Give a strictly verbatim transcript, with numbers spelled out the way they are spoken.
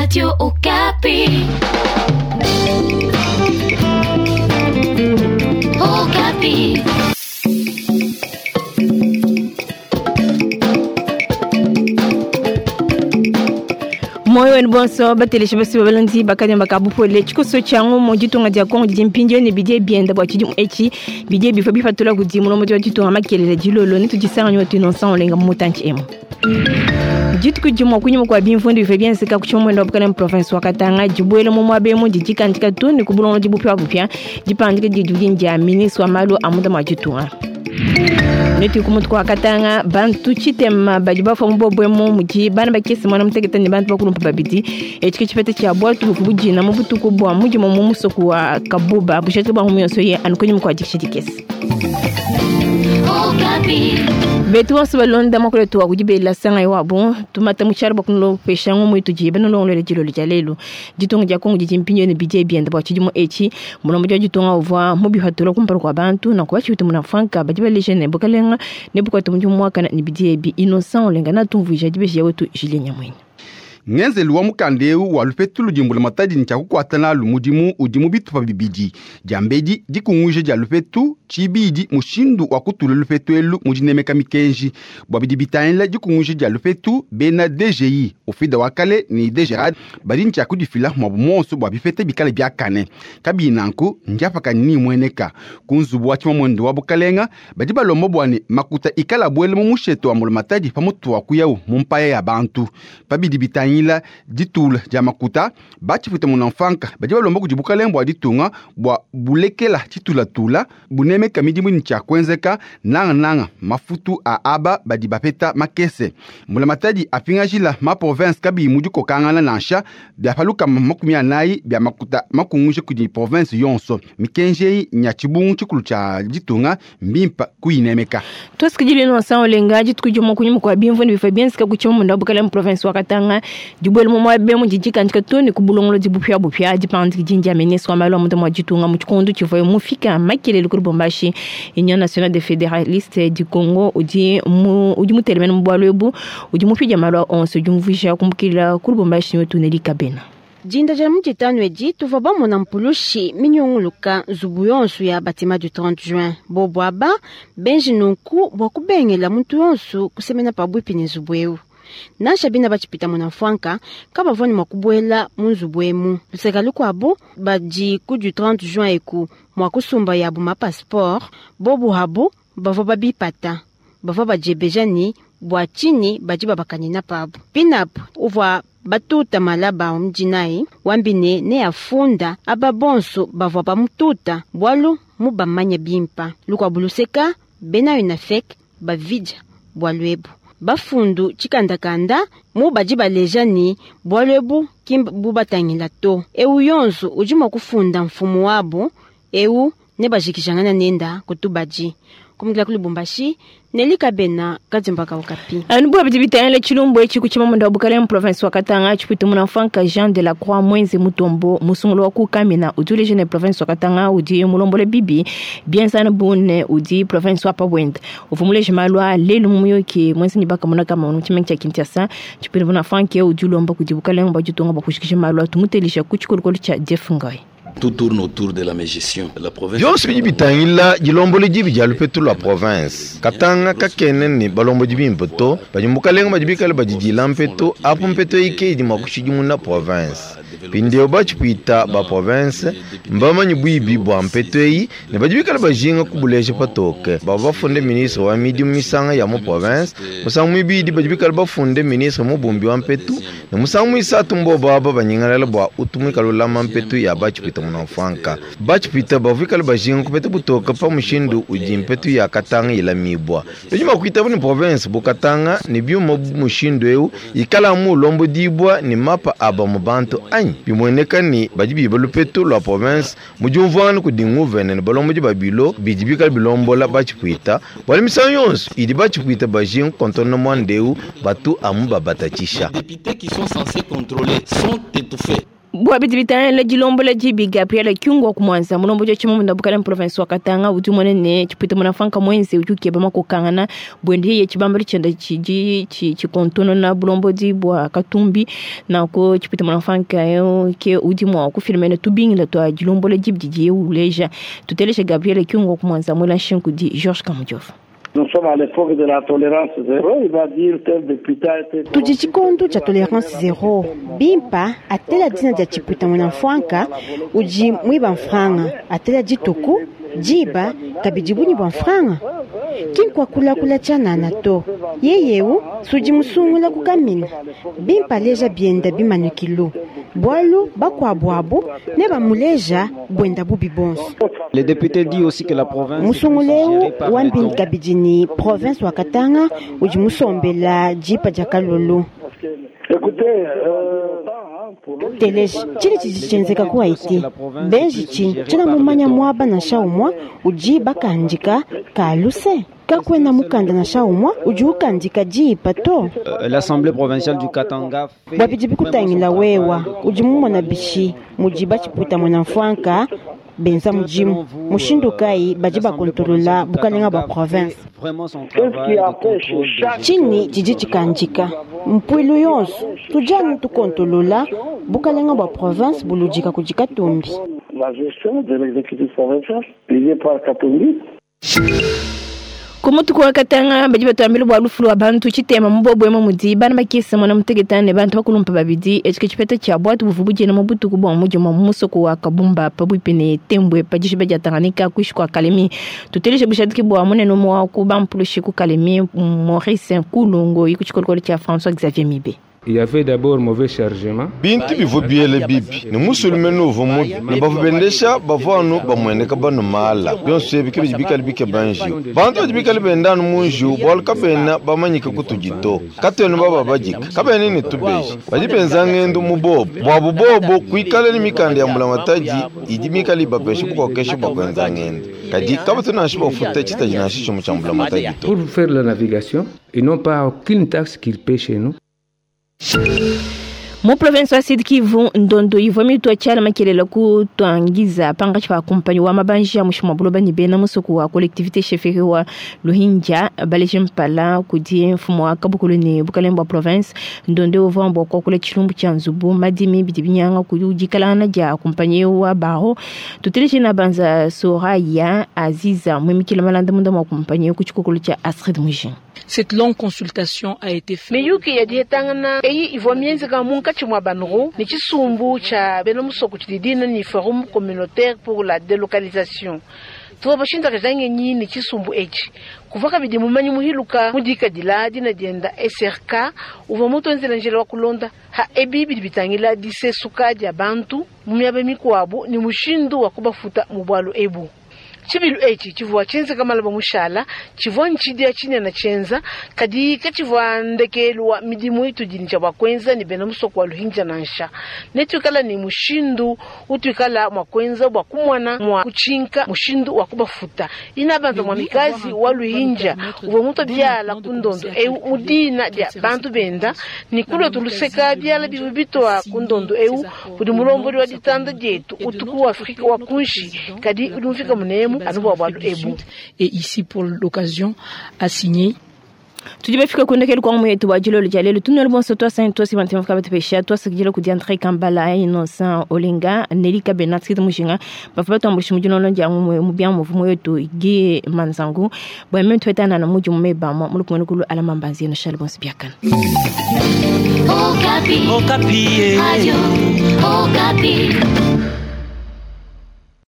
Radio Okapi. Okapi. Moyo wenu bonso batelesha basi babalandi bakanya bakabupole chikoso changu mu ditunga dia Kongo didi mpindio ne bidie bienda bua tshidimu etshi bidie bifo bifatula kudi mulombo wa ditunga makelele dilolo ne tudisanga nyoto innocent olenga mu mutanchi emu dituku dimue kunyima kua bimvundu bivua bienzeka ku tshimomwendo wa bukala mu province wa Katanga dibuela mu muaba emu didi dikandika to ne ku bulongolodi bupiabupia dipandika didi dia ministre wa malu a munda mua ditunga. Netu kumutu kwa Katanga bantu chitema badi bafwa mu bobwemo mudi bana bakese mwana mutekete ne bantu bakulumpa babidi etshi chipete cha bwatu bujina mu butuku bwa mudi mu musoku wa Kabuba bushatu bwa mu yonso ye anukonyi mu kwa dikishidikese. Betu wonso balonda makole tuwa kudibela sanga yo abo tumata muchalo bakuno pesha ngo muitu jibe no longole jilo lya lelo ditunga dia Kongo didi mpinyo ne bidie bienda bwa tshidimu etshi mulombo dia ditunga uvwa mu bihatula kumpala kwa bantu na kwa tshitu muna franka badi baleje ne bokalenga ne bukwata mu mwaka ne bidie bi innocent olenga na tumvuja dibeje wetu Julien Nyamwenya. Ngenzelu wa mukandeu wa lupetu ludimbula matadi ni chakukwatana lumudimu udimu bitupa bibidi jambedi dikunguje dia lupetu chibidi mushindu wa kutula lupetu elu mudinemeka mikenji bwa bidi bitangila dikunguje dia lupetu bena D G I ofida wakale ni D G R A D badi nchakudifila mwa bumonso bwa bifete bikale byakane kabinanku njapaka ni mweneka kunzubu wa chimamwendo wa bukalenga badi balombo bwane makuta ikala bwele mu musheto wa mulamatadi pamutu wa kuyau mumpaya ya bantu pabidi bitangila ila ditula dia makuta bachipita munamfanka badi balomba kudi bukalenga bwa ditunga bwa bulekela titulatula bunemeka midimu ni tshia kuenzeka nangananga mafutu a aba badi bapeta makese mbulamatadi apingajila ma province kabiyi mudi kokangana nansha bia paluka makumi anayi bia makuta makunguje kudi province yonso mikenji nya tshibungu tshikulu tshia ditunga mbimpa kuyinemeka. Tosikidile nonsa olenga dituku mokunyuma kwa bimvundu bifo bienzeka ku tshimomunda bukalenga province wa Katanga dibwele mu mwabe mu didikandika to ne ku bulongolodi bupiabupia dipandika dindi ya ministre wa malu a munda mua ditunga mu tshikondo tshivua mufika makelele ku Lubumbashi. Union nationale des fédéralistes du Congo udi mu udi mutelemene mu bualu ebu udi mupidia malu a onso udi umvuija kumbukila ku Lubumbashi wetu Neli Kabena. Dinda dia mutitano edi tuvua bamona mpulushi minyunguluka nzubu yonso ya batima du trente juin bobo aba benji nunku bua kubengela muntu yonso kusemena pabuipi ne nzubu eu. Nansha bina bachipita muna mfwanka kabavua ne mua kubuela mu nzubu emu luseka lukuabu badi ku du trente juin eku mua kusumba yabu ma passeport bobu habu bavua babipata bavua badiebeja ni bua tshini badi babakanina pabu pinapu uvua batuta malaba omudinayi wambine ne afunda aba bonso bavua bamututa bwalu mu bamanya bimpa lukuabu luseka bena UNAFEC bavidya bwalu ebu bafundu tshikandakanda mu badi baleja ni bwalu ebu ki bubatangila to eu yonso udi mua kufunda mfumu wabo eu ne bajikijangana nenda kutubadi kumukila ku Lubumbashi Neli Kabena Kadzimbaka Okapi. Anu bua bidi bitangila tshilumbu etshi ku tshimamunda wa bukalenga province wa Katanga tshipuita muna mfanka Jean de la Croix Mwenze Mutombo musungulu wa ku Kamina udi uleja ne province wa Katanga udi mulombole bibi bienzana bune udi province wa Pabwenda uvua muleje malu a lelu mu muyoki mwenze ni bakamona kama mu tshimenga tshia Kinshasa tshipuita muna mfanka udi ulomba kudi bukalenga bua ditunga bua kushikisha malu a tumutelisha ku tshikolokolo tshia Jeff Ngai. Tout tourne autour de la mégestion. La province. Byonso bidi bitangila dilombo dibi dia lupetu lwa province. Katanga kakene ni balombo dibi mpoto, badi mukalenga badi bikale badidila mpeto, apo mpeto ike idi mua kushidimuna province. Pindio bachipita ba province, mbamanyi bwibi bwa mpeto eyi, ne badi bikale bajinga kubuleja patoke. Bava bafunde ministre wa midimu misanga ya mu province, musangu mwibidi badi bikale bafunde ministre mubumbi wa mpetu, ne musangu mwisatu mbo baba banyingalala bwa utumika lulama mpetu ya bachipita munamfanka. Bachipita bavikale bajinga kupeta butoka pa mushindu udi mpetu ya Katanga ilamibwa. Bidi kuita ni province bu Katanga ne byuma mushindu eu ikala mu lombo dibwa ni mapa aba mu bantu anyi. Bimweneka ni badi biba lupetu lwa province mujumvana kudi nguvene ne balombo di babilo bidi bikale bilombola bachipita. Bwali misangu yonso idi bachipita bajinga kontona mwandeu batu amu babatatisha. Les députés qui sont censés contrôler sont étouffés. Bua bidi bitangila dilombola dibi Gabriel Kyungu wa kumwanza mulombodi wa tshimamunda bukala province wa Katanga udi umone ne tshipwita munafanka mwenze udi ukeba makokangana bwende yeye tshibambalu tshienda tshidi tshikontonona bulombodi bua Katumbi nanku tshipwita munafanka yo ke udi mua kufilimene tubingila twa dilombola dibi didiye uleja. Tuteleshe Gabriel Kyungu wa kumwanza mwela nshinku di Georges Kamujova. Nous sommes à l'époque de la tolérance zéro. Il va dire tel député a été. Tudi tshikondo tshia tolérance zéro. Bimpa atela dina dia tshipwita munamfwanka udi mwiba mfranga atela dituku diba kabidi bunyi bua mfranga kinkuakulakula tshianana to yeyeu sudi musungula kukamina bimpa leja bienda bimanukilu bwalu bakuabu abu ne bamuleja bwenda bubi bonso. Les députés disent aussi que la province musunguleu wambini kabidi ni province wa Katanga udi musombela dipa dia kalolo. Teleje tshili tshidi tshienzeka ku Haiti benji tshini tshina mumanya mwaba na shaumwa udi bakandika kaluse kakwena mukanda na shaumwa udi ukandika dipa to. L'Assemblée provinciale du Katanga bua bidi bikutangila wewa udi mumona bishi mudi batshipwita munamfwanka benza mudimu mushindu kayi badi bakontolola bukalenga bua province tshini tshidi tshikandika mpuilu yonso tudi anu tukontolola bukalenga bua province buludika kudi Katumbi. La gestion de l'exécutif provincial dirigé par Katumbi. Kumutuku wa Katanga badi batwambile bua lufu lwa bantu tshitema mubobwema mudi bana bakesa mwana muteketane bantu bakulumpa babidi etshike tshipeta tshia bwatu buvu budiena mu butuku bua mudima mu musoko wa Kabumba pabuipi ne Tembwe pa dishiba dia Tanganyika kuishi kua Kalemi. Tuteleshe bushadiki bua munene umue wa ku bampulushi ku Kalemi Maurice Nkulungo iku tshikolokolo tshia François Xavier Mibe. Il y avait d'abord mauvais chargement. Bintu bivua biele bibi ne musulume nuvu mubi ne bavua bendesha bavua anu bamueneka banu mala bionso ebi ke bidi bikale bikeba njiwu bantu badi bikale benda anu mu njiwu bualu kabena bamanyike kutudi to katuena baba badika kabena ne tubeji badi benza ngendo mu bobo buabu bobo kuikale ne mikanda ya mbulamatadi idi mikale ibapesha bukokesha bua kuenza ngendo kadi kabatu nansha bafuta tshitaji nansha tshimue tshia mbulamatadi to. Pour faire la navigation, ils n'ont pas aucune taxe qu'ils paient chez nous. Mu province wa Sud Kivu ndondo ivua mitwa tshiala makelela ku twangiza pangatshi pa kumpanyi wa mabanji ya mushima buloba ne bena musuku wa collectivité chefferie wa Luhinja baleje mpala kudi mfumu wa kabukulu ne bukalenga bua province. Ndondo uvua mbua kuakula tshilumbu tshia nzubu madimi bidi binyanga kudi dikalangana dia kumpanyi wa baho. Tuteleje na banza Soraya Aziza mwimikila malanda munda mwa kumpanyi ku tshikokolo tshia Astrid Mujin. Cette longue consultation a été faite. Miyuki ya dihetangana eyi ivua mienzeka munkatshi mua banru ne tshisumbu tshia bena musoko tshidi ni forum communautaire pour la délocalisation. Tuvua bashindakaja ngenyi ne tshisumbu etshi kuva kabidi mumanyi muhiluka mudikadila dina dienda S R K uvua mutuenzela njila wa kulonda ha ebi bidi bitangila disesuka dia bantu mu miaba mikuabu ni mushindu wa kubafuta mu bwalu ebu. Tshibilu etshi tshivua tshienzeka malaba mushala tshivua ntshidia tshinene tshienza kadi katshivua ndekelu wa midimu itudi tshia bua kuenza ne bena musoko wa Luhinja nansha netuikala ne mushindu utuikala mua kuenza bua kumwana mua kutshinka mushindu wa kubafuta ina bantu mwa mikazi wa Luhinja uvua mutu biala ku ndondo eu mudina dia bantu benda ni kulwa tuluseka biala bivu bitwa ku ndondo eu kudi mulombodi wa ditanda dietu utuku wa Afrika wa kunshi kadi udi mufika munemu Et ici pour l'occasion à signer. Tudi bafika kundekeli kwa mwetu wa jilolo jalelo tunelo bonso twasa twasi bantu mfika batupesha twasa kujila kudi André Kambala Innocent Olenga Nelika Benat kiti mushinga bafa batambulisha mujilolo nja mu bya muvumo yetu gi manzangu bwa mimi twetana na muji mumeba mulukumwe kulu alama mbanzi no shal bonso biakana. Okapi. Okapi. Radio Okapi.